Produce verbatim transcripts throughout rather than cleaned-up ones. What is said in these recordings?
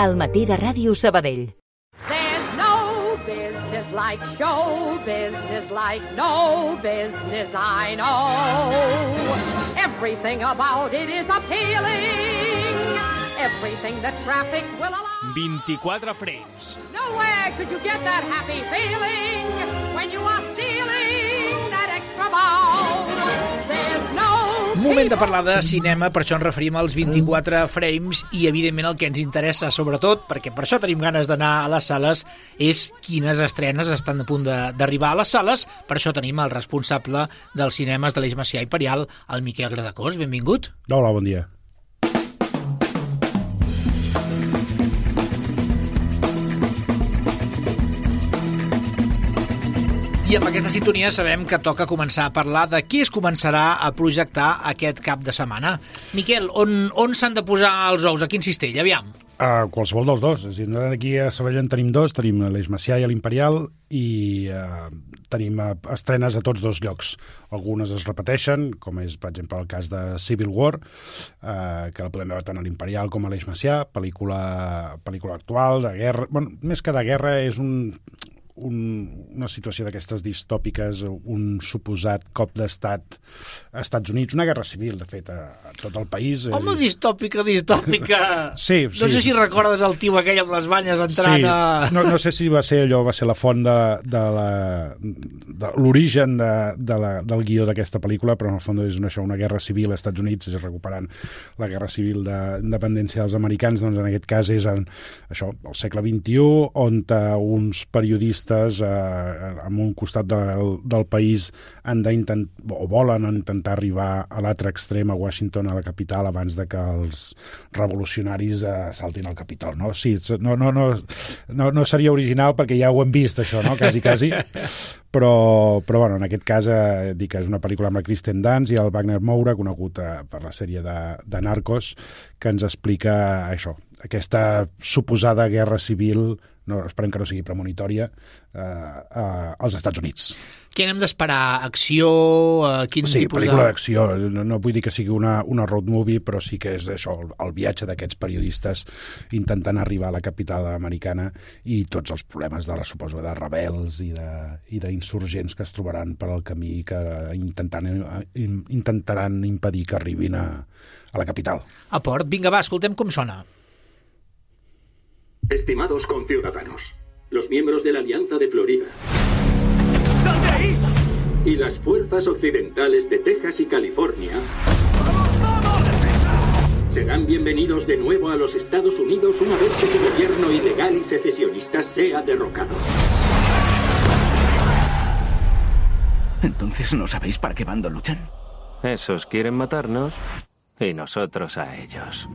Al matí de Ràdio Sabadell. There's no business like show business, like no business I know. Everything about it is appealing. Everything the traffic will allow. vint-i-quatre frames. Nowhere could you get that happy feeling when you are stealing that extra bow. There's no Moment de parlar de cinema, per això ens referim als vint-i-quatre frames i, evidentment, el que ens interessa, sobretot, perquè per això tenim ganes d'anar a les sales, és quines estrenes estan a punt d'arribar a les sales. Per això tenim el responsable dels cinemes de l'Eix Macià Imperial, el Miquel Gradacós. Benvingut. Hola, bon dia. I amb aquesta sintonia sabem que toca començar a parlar de què es començarà a projectar aquest cap de setmana. Miquel, on, on s'han de posar els ous? A quin cistell? Aviam. Uh, qualsevol dels dos. És a dir, aquí a Sabadell en tenim dos, tenim l'Eix Macià i l'Imperial, i uh, tenim uh, estrenes a tots dos llocs. Algunes es repeteixen, com és, per exemple, el cas de Civil War, uh, que la podem veure tant a l'Imperial com a l'Eix Macià, pel·lícula, pel·lícula actual, de guerra. Bueno, més que de guerra, és un... Un, una situació d'aquestes distòpiques, un suposat cop d'estat als Estats Units, una guerra civil, de fet, a, a tot el país. Home, distòpica, distòpica! Sí, sí. No sé si recordes el tio aquell amb les banyes entrant sí. a... No, no sé si va ser allò, va ser la font de, de la... de l'origen de, de la, del guió d'aquesta pel·lícula, però en el fons és una, això, una guerra civil als Estats Units, és recuperant la guerra civil d'independència dels americans, doncs en aquest cas és en, això, el segle vint-i-u, on uns periodistes eh, en un costat del, del país han d'intentar, o volen intentar arribar a l'altre extrem, a Washington, a la capital, abans de que els revolucionaris eh, saltin al Capitol, no? Sí, no, no, no, no, no seria original perquè ja ho hem vist, això, no? Quasi, quasi. Però, però bueno, en aquest cas eh, dic que és una pel·lícula amb la Kristen Dunst i el Wagner Moura, conegut eh, per la sèrie de, de Narcos, que ens explica això, aquesta suposada guerra civil, no, esperem que no sigui premonitòria, eh, eh, als Estats Units. Què n'hem d'esperar? Acció? Eh, quin sí, tipus pel·lícula de... d'acció. No, no vull dir que sigui una, una road movie, però sí que és això, el, el viatge d'aquests periodistes intentant arribar a la capital americana i tots els problemes de la suposo de rebels i de, i d'insurgents que es trobaran per al camí que intentant, intentaran impedir que arribin a, a la capital. A port, vinga va, escoltem com sona. Estimados conciudadanos, los miembros de la Alianza de Florida y las fuerzas occidentales de Texas y California serán bienvenidos de nuevo a los Estados Unidos una vez que su gobierno ilegal y secesionista sea derrocado. ¿Entonces no sabéis para qué bando luchan? Esos quieren matarnos y nosotros a ellos.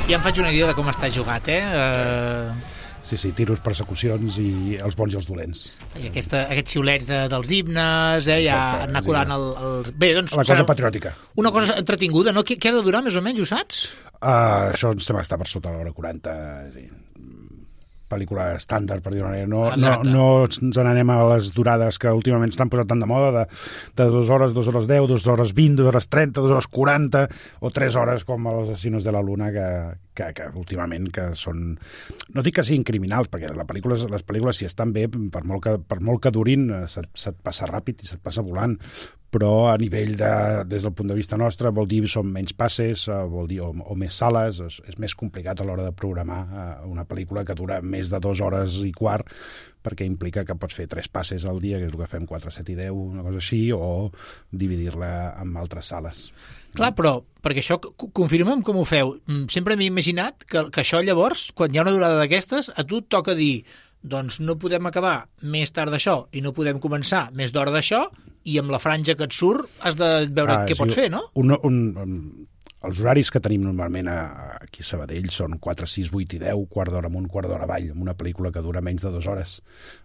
Ja em faig una idea de com està jugat, eh? Uh... Sí, sí, tiros, persecucions i els bons i els dolents. I aquesta, aquests xiulets de, dels himnes, eh? Ja Exacte, anar colant el, el... Bé, doncs... La cosa serà patriòtica. Una cosa entretinguda, no? Què, què ha de durar, més o menys, ho saps? Uh, això ens sembla que està per sota l'hora quaranta, sí. Pel·lícula estàndard, per dir-ho manera. No, no, no ens n'anem a les durades que últimament estan posant tant de moda, de, de dues hores, dues hores deu, dues hores vint, dues hores trenta, dues hores quaranta, o tres hores com els Asesinos de la Luna, que, que, que últimament que són... No dic que siguin criminals, perquè les pel·lícules, les pel·lícules si estan bé, per molt que, per molt que durin, se't, se't passa ràpid i se't passa volant. Però a nivell de, des del punt de vista nostre, vol dir són menys passes, vol dir o, o més sales, és, és més complicat a l'hora de programar una pel·lícula que dura més de dues hores i quart, perquè implica que pots fer tres passes al dia, que és el que fem quatre, set i deu, una cosa així, o dividir-la en altres sales. Clar, però, perquè això, confirmem com ho feu. Sempre m'he imaginat que, que això llavors, quan hi ha una durada d'aquestes, a tu et toca dir, doncs no podem acabar més tard d'això i no podem començar més d'hora d'això, i amb la franja que et surt has de veure ah, què sí, pots fer, no? Un, un, un, els horaris que tenim normalment a, aquí a Sabadell són quatre, sis, vuit i deu, quart d'hora amunt, quart d'hora avall, amb una pel·lícula que dura menys de dues hores.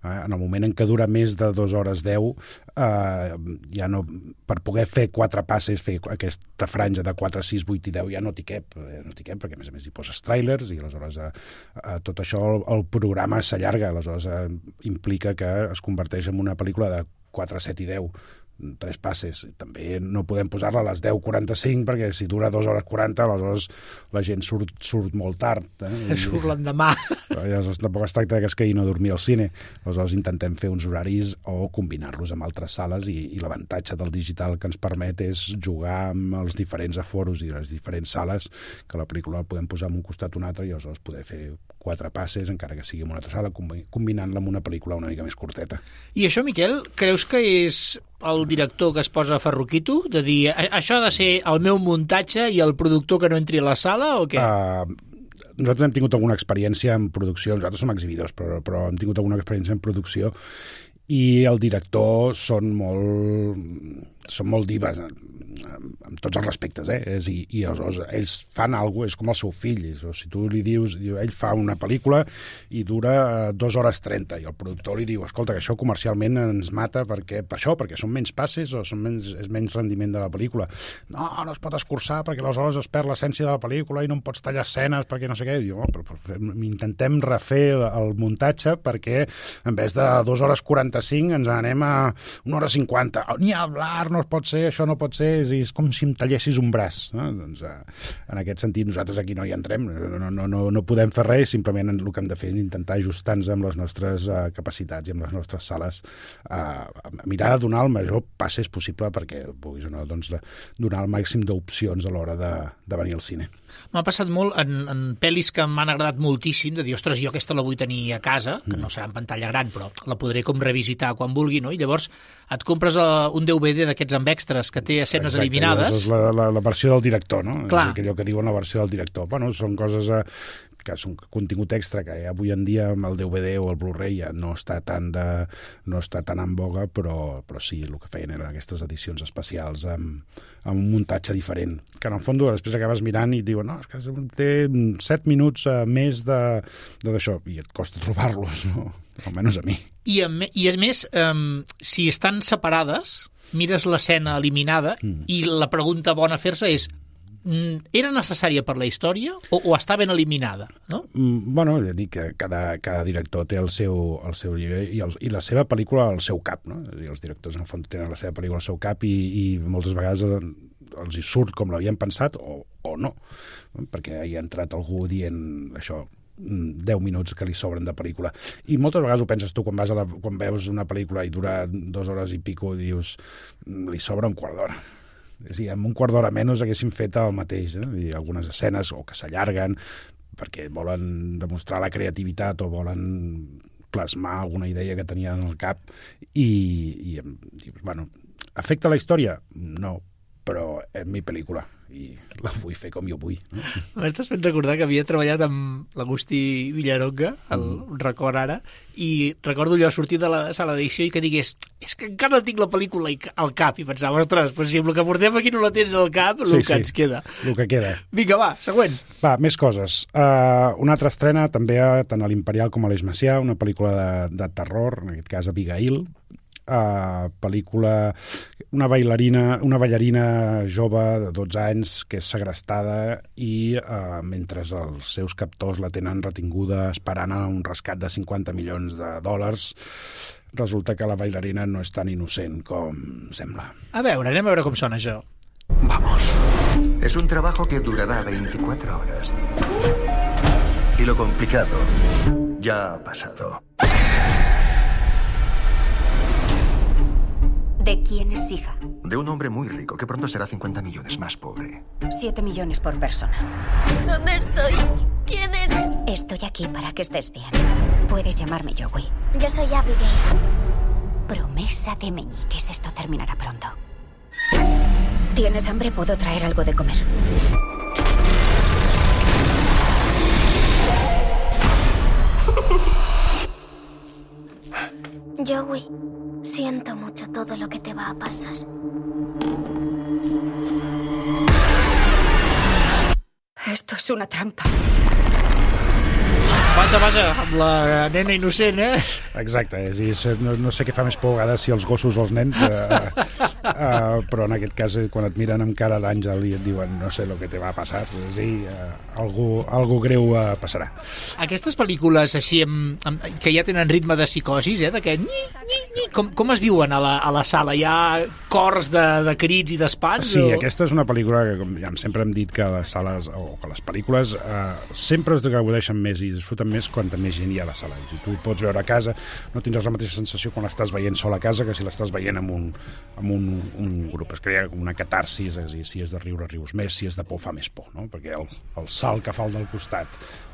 Eh, en el moment en què dura més de dues hores deu, eh, ja no, per poder fer quatre passes, fer aquesta franja de quatre, sis, vuit i deu, ja no t'hi cap, eh, no t'hi cap, perquè a més a més hi poses trailers i aleshores eh, eh, tot això, el, el programa s'allarga, aleshores eh, implica que es converteix en una pel·lícula de quatre, set i deu, tres passes. També no podem posar-la a les deu quaranta-cinc perquè si dura dues hores quaranta, aleshores la gent surt, surt molt tard. Eh? Surt l'endemà. Aleshores tampoc es tracta que es quedi no dormir al cine. Aleshores intentem fer uns horaris o combinar-los amb altres sales i, i l'avantatge del digital que ens permet és jugar amb els diferents aforos i les diferents sales, que la pel·lícula la podem posar en un costat o un altre i aleshores poder fer quatre passes, encara que sigui en una altra sala, combinant-la amb una pel·lícula una mica més curteta. I això, Miquel, creus que és el director que es posa ferroquito? De dir, això ha de ser el meu muntatge i el productor que no entri a la sala o què? Uh, nosaltres hem tingut alguna experiència en producció, nosaltres som exhibidors, però, però hem tingut alguna experiència en producció i el director són molt, són molt divas, amb tots els respectes, eh? És, i, i aleshores ells fan alguna cosa, és com el seu fill, és, o si tu li dius, diu, ell fa una pel·lícula i dura dues hores trenta, i el productor li diu, escolta, que això comercialment ens mata perquè, per això, perquè són menys passes o són menys, és menys rendiment de la pel·lícula. No, no es pot escurçar perquè aleshores es perd l'essència de la pel·lícula i no em pots tallar escenes perquè no sé què. I diu, oh, però, però intentem refer el, el muntatge perquè en vez de dues hores quaranta-cinc ens anem a una hora cinquanta. Ni hablar, no pot ser, això no pot ser, és, és com si em tallessis un braç. No? Doncs, eh, en aquest sentit, nosaltres aquí no hi entrem, no, no, no, no podem fer res, simplement el que hem de fer és intentar ajustar-nos amb les nostres uh, capacitats i amb les nostres sales, uh, mirar de donar el major passes possible perquè puguis donar, doncs, donar el màxim d'opcions a l'hora de, de venir al cine. M'ha passat molt en, en pel·lis que m'han agradat moltíssim, de dir, ostres, jo aquesta la vull tenir a casa, que no serà en pantalla gran, però la podré com revisitar quan vulgui, no? I llavors et compres uh, un D V D d'aquests amb extras que té escenes Exacte, eliminades. És la, la, la versió del director, no? Clar. És allò que diuen la versió del director. Bueno, són coses eh, que són contingut extra que avui en dia amb el D V D o el Blu-ray ja no està tan, de, no està tan en boga, però, però sí, el que feien eren aquestes edicions especials amb, amb un muntatge diferent, que en el fons després acabes mirant i et diuen, no, és que té set minuts uh, més d'això, i et costa trobar-los, no? Almenys a mi. I a, i a més, um, si estan separades, mires l'escena eliminada mm. i la pregunta bona a fer-se és, era necessària per la història o, o està ben eliminada, no? Mm, bueno, ja dic que cada, cada director té el seu, el seu llibre i, el, i la seva pel·lícula al seu cap, no? I els directors en el fons tenen la seva pel·lícula al seu cap i, i moltes vegades els hi surt com l'havien pensat o, o no, perquè hi ha entrat algú dient això, deu minuts que li sobren de pel·lícula. I moltes vegades ho penses tu quan, vas a la, quan veus una pel·lícula i dura dues hores i pico i dius, li sobra un quart d'hora. Sí, amb un quart d'hora menys haguéssim fet el mateix, eh? I algunes escenes o que s'allarguen perquè volen demostrar la creativitat o volen plasmar alguna idea que tenien al cap i, i dius, bueno, afecta la història? No, però és mi pel·lícula i la vull fer com jo vull. No? M'estàs fent recordar que havia treballat amb l'Agustí Villaronga, el mm. record ara, i recordo allò sortir de la sala d'edició i que digués, és que encara no tinc la pel·lícula al cap, i pensava, ostres, pues si el que portem aquí no la tens al cap, el sí, que sí, ens queda. El que queda. Vinga, va, següent. Va, més coses. Uh, una altra estrena també tant a l'Imperial com a l'Eix Macià, una pel·lícula de, de terror, en aquest cas Abigail, Uh, pel·lícula, una bailarina, una ballarina jove de dotze anys que és segrestada i uh, mentre els seus captors la tenen retinguda esperant a un rescat de cinquanta milions de dòlars, resulta que la bailarina no és tan innocent com sembla. A veure, anem a veure com sona això. Vamos. Es un trabajo que durará veinticuatro horas. Y lo complicado ya ha pasado. ¿De quién es hija? De un hombre muy rico que pronto será cincuenta millones más pobre. Siete millones por persona. ¿Dónde estoy? ¿Quién eres? Estoy aquí para que estés bien. Puedes llamarme Joey. Yo soy Abigail. Promesa de meñiques. Esto terminará pronto. ¿Tienes hambre? Puedo traer algo de comer. Joey, si Siento mucho todo lo que te va a pasar. Esto es una trampa. Passa, passa, amb la nena innocent, eh? Exacte, és a dir, no, no sé què fa més por a vegades si els gossos o els nens, eh, eh, però en aquest cas, quan et miren amb cara d'àngel i et diuen no sé el que te va a passar, és a dir, eh, algú, algú greu eh, passarà. Aquestes pel·lícules així amb, amb, que ja tenen ritme de psicosis, eh, d'aquest nyi, nyi, nyi, com, com es viuen a la, a la sala? Hi ha cors de, de crits i d'espants? Sí, o... aquesta és una pel·lícula que, com ja sempre hem dit, que les sales o que les pel·lícules eh, sempre es gaudeixen més i disfruten més quan més gent hi ha a la sala. Si tu pots veure a casa, no tindràs la mateixa sensació quan l'estàs veient sol a casa que si l'estàs veient amb un, amb un, un grup. Es crea una catarsis, és a dir, si és de riure, rius més, si és de por, fa més por, no? Perquè el, el salt que fa el del costat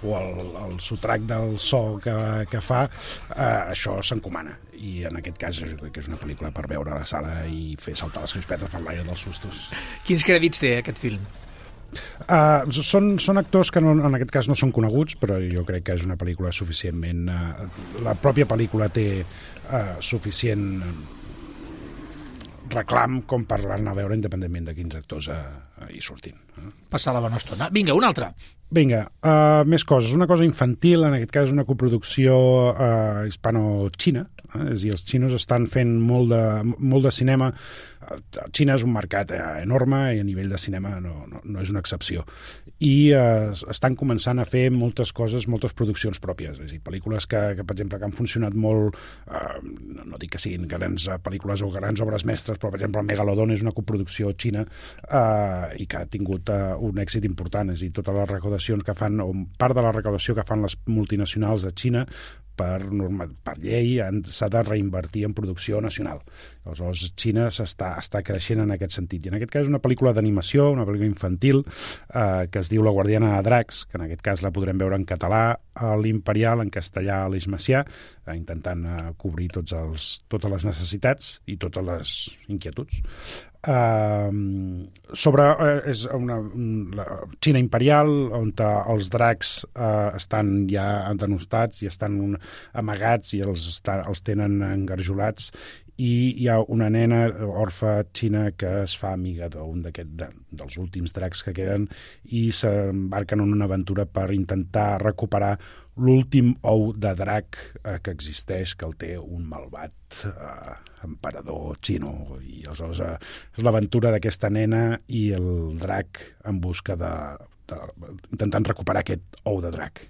o el, el sotrac del so que, que fa, eh, això s'encomana. I en aquest cas jo crec que és una pel·lícula per veure a la sala i fer saltar les crispetes per l'aire dels sustos. Quins crèdits té aquest film? Uh, són, són actors que no, en aquest cas no són coneguts, però jo crec que és una pel·lícula suficientment... Uh, la pròpia pel·lícula té uh, suficient reclam com per anar a veure independentment de quins actors uh, uh, hi surtin. Uh. Passar la bona estona. Vinga, una altra. Vinga, uh, més coses. Una cosa infantil, en aquest cas una coproducció uh, hispano-xina, eh? És a dir, els xinos estan fent molt de, molt de cinema. Xina és un mercat eh, enorme i a nivell de cinema no, no, no és una excepció. I eh, estan començant a fer moltes coses, moltes produccions pròpies. És a dir, pel·lícules que, que per exemple, que han funcionat molt, eh, no, no dic que siguin grans pel·lícules o grans obres mestres, però per exemple el Megalodon és una coproducció xina eh, i que ha tingut eh, un èxit important. És a dir, totes les recaudacions que fan, o part de la recaudació que fan les multinacionals de Xina, per, norma, per llei s'ha de reinvertir en producció nacional. Aleshores, Xina s'està està creixent en aquest sentit. I en aquest cas és una pel·lícula d'animació, una pel·lícula infantil, eh, que es diu La guardiana de dracs, que en aquest cas la podrem veure en català a l'Imperial, en castellà a l'Eix Macià, eh, intentant eh, cobrir tots els, totes les necessitats i totes les inquietuds. Uh, sobre uh, és una, una Xina imperial on els dracs uh, estan ja denostats i estan un, amagats i els, està, els tenen engarjolats i hi ha una nena orfa xina que es fa amiga d'un d'aquest de, dels últims dracs que queden i s'embarquen en una aventura per intentar recuperar l'últim ou de drac eh, que existeix, que el té un malvat eh, emperador xino. I aleshores eh, és l'aventura d'aquesta nena i el drac en busca de, de intentant recuperar aquest ou de drac.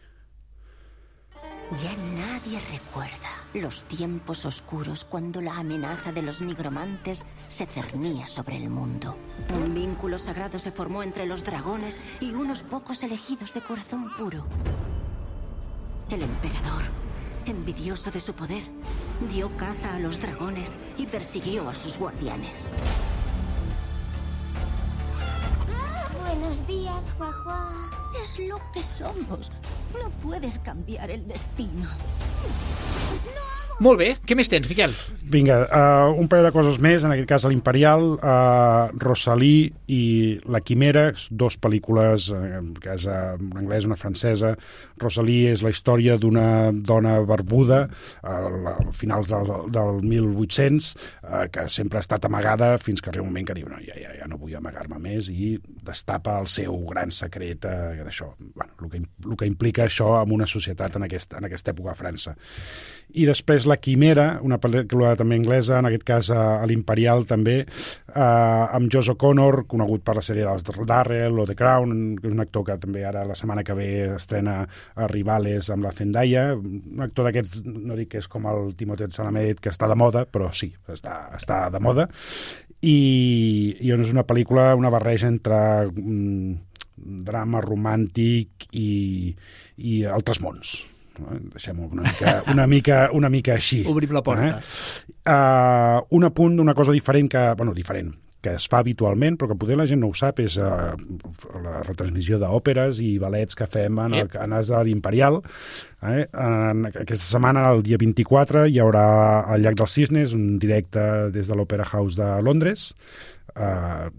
Ya nadie recuerda los tiempos oscuros cuando la amenaza de los nigromantes se cernía sobre el mundo. Un vínculo sagrado se formó entre los dragones y unos pocos elegidos de corazón puro. El emperador, envidioso de su poder, dio caza a los dragones y persiguió a sus guardianes. Buenos días, Guagua. Es lo que somos. No puedes cambiar el destino. Molt bé. Què més tens, Miquel? Vinga, uh, un parell de coses més, en aquest cas a l'Imperial, uh, Rosalie i La Quimera, dos pel·lícules, uh, que és uh, una anglesa, una francesa. Rosalie és la història d'una dona barbuda uh, a finals del, del mil vuit-cents, uh, que sempre ha estat amagada fins que arriba un moment que diu no, ja, ja, ja no vull amagar-me més i destapa el seu gran secret uh, d'això. Bueno, el que, el que implica això en una societat en, aquest, en aquesta època a França. I després La Quimera, una pel·lícula també anglesa, en aquest cas a, a l'Imperial també, eh, amb Josh O'Connor, conegut per la sèrie dels Darrell o The Crown, que és un actor que també ara la setmana que ve estrena a Rivales amb la Zendaya, un actor d'aquests, no dic que és com el Timothée Chalamet, que està de moda, però sí, està, està de moda, i, i és una pel·lícula, una barreja entre mm, drama romàntic i, i altres mons. Deixem-ho una mica, una mica, una mica així. Obrim la porta. Eh? Uh, un apunt d'una cosa diferent que, bueno, diferent, que es fa habitualment, però que potser la gent no ho sap, és uh, la retransmissió d'òperes i ballets que fem en el canal de l'Imperial. Eh? En aquesta setmana, el dia vint-i-quatre, hi haurà al Llac dels Cisnes un directe des de l'Opera House de Londres, eh,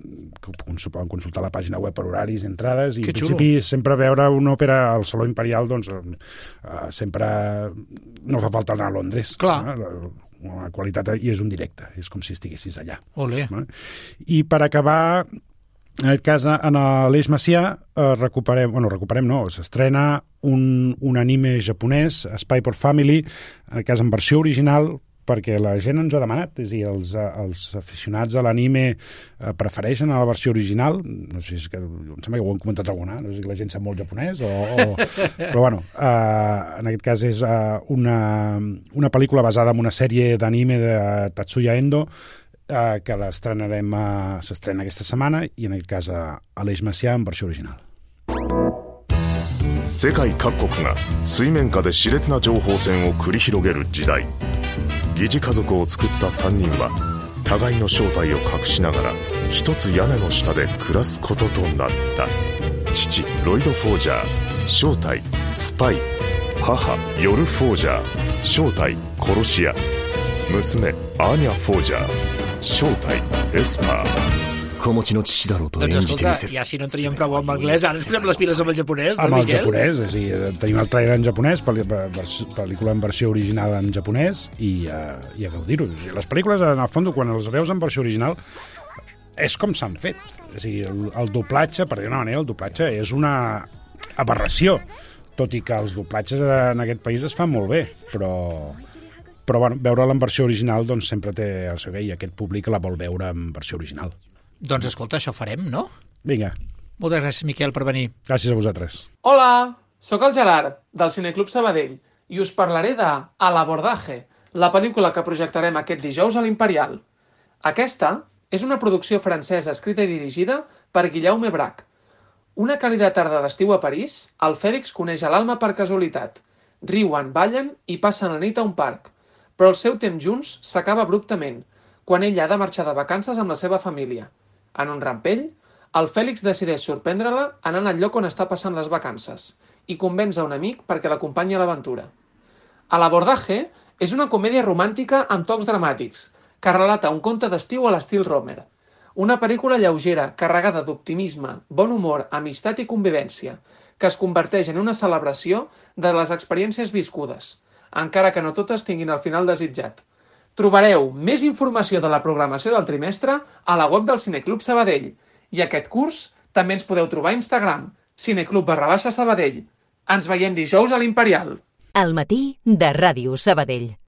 poden consultar la pàgina web per horaris, entrades, i que en principi xulo. Sempre veure una òpera al Saló Imperial, doncs eh, sempre no fa falta anar a Londres. Clar. Eh? La qualitat, i és un directe, és com si estiguessis allà. Olé. I per acabar, en aquest cas, en l'Eix Macià, eh, recuperem, bueno, recuperem no, s'estrena un, un anime japonès, Spy por Family, en aquest cas en versió original, perquè la gent ens ho ha demanat, és a dir, els, els aficionats a l'anime eh, prefereixen a la versió original, no sé si és que, em sembla que ho hem comentat alguna, no sé si la gent sap molt japonès, o, o... però bueno, eh, en aquest cas és eh, una, una pel·lícula basada en una sèrie d'anime de Tatsuya Endo, eh, que l'estrenarem, eh, s'estrena aquesta setmana, i en aquest cas a, a l'Eix Macià en versió original. 世界各国が水面下で熾烈な情報戦を繰り広げる時代、疑似家族を作ったさんにんは互いの正体を隠しながら一つ屋根の下で暮らすこととなった。父ロイド・フォージャー、正体スパイ、母ヨル・フォージャー、正体殺し屋、娘アーニャ・フォージャー、正体エスパー。子持ちの父だろうと演じてみせる。Ja si no en teníem prou amb anglès, ara ens posem les piles amb el japonès, no, amb el Miquel? japonès, és a dir, tenim el trailer en japonès, pel·lícula en versió original en japonès, i, uh, i a gaudir-ho. O sigui, les pel·lícules, en el fons, quan les veus en versió original, és com s'han fet. És a dir, el, el doblatge, per dir una manera, el doblatge és una aberració, tot i que els doblatges en aquest país es fan molt bé, però... però bueno, veure-la en versió original doncs sempre té el seu bé, i aquest públic la vol veure en versió original. Doncs escolta, això farem, no? Vinga. Moltes gràcies, Miquel, per venir. Gràcies a vosaltres. Hola, sóc el Gerard, del Cineclub Sabadell, i us parlaré de A l'abordaje, la pel·lícula que projectarem aquest dijous a l'Imperial. Aquesta és una producció francesa escrita i dirigida per Guillaume Brac. Una càlida tarda d'estiu a París, el Fèlix coneix a l'Alma per casualitat. Riuen, ballen i passen la nit a un parc. Però el seu temps junts s'acaba abruptament, quan ella ha de marxar de vacances amb la seva família. En un rampell, el Fèlix decideix sorprendre-la anant al lloc on està passant les vacances i convenç a un amic perquè l'acompanyi a l'aventura. A l'abordaje és una comèdia romàntica amb tocs dramàtics que relata un conte d'estiu a l'estil Romer. Una pel·lícula lleugera, carregada d'optimisme, bon humor, amistat i convivència, que es converteix en una celebració de les experiències viscudes, encara que no totes tinguin el final desitjat. Trobareu més informació de la programació del trimestre a la web del Cineclub Sabadell. I aquest curs també ens podeu trobar a Instagram, cineclub barra baixa Sabadell. Ens veiem dijous a l'Imperial. Al matí de Ràdio Sabadell.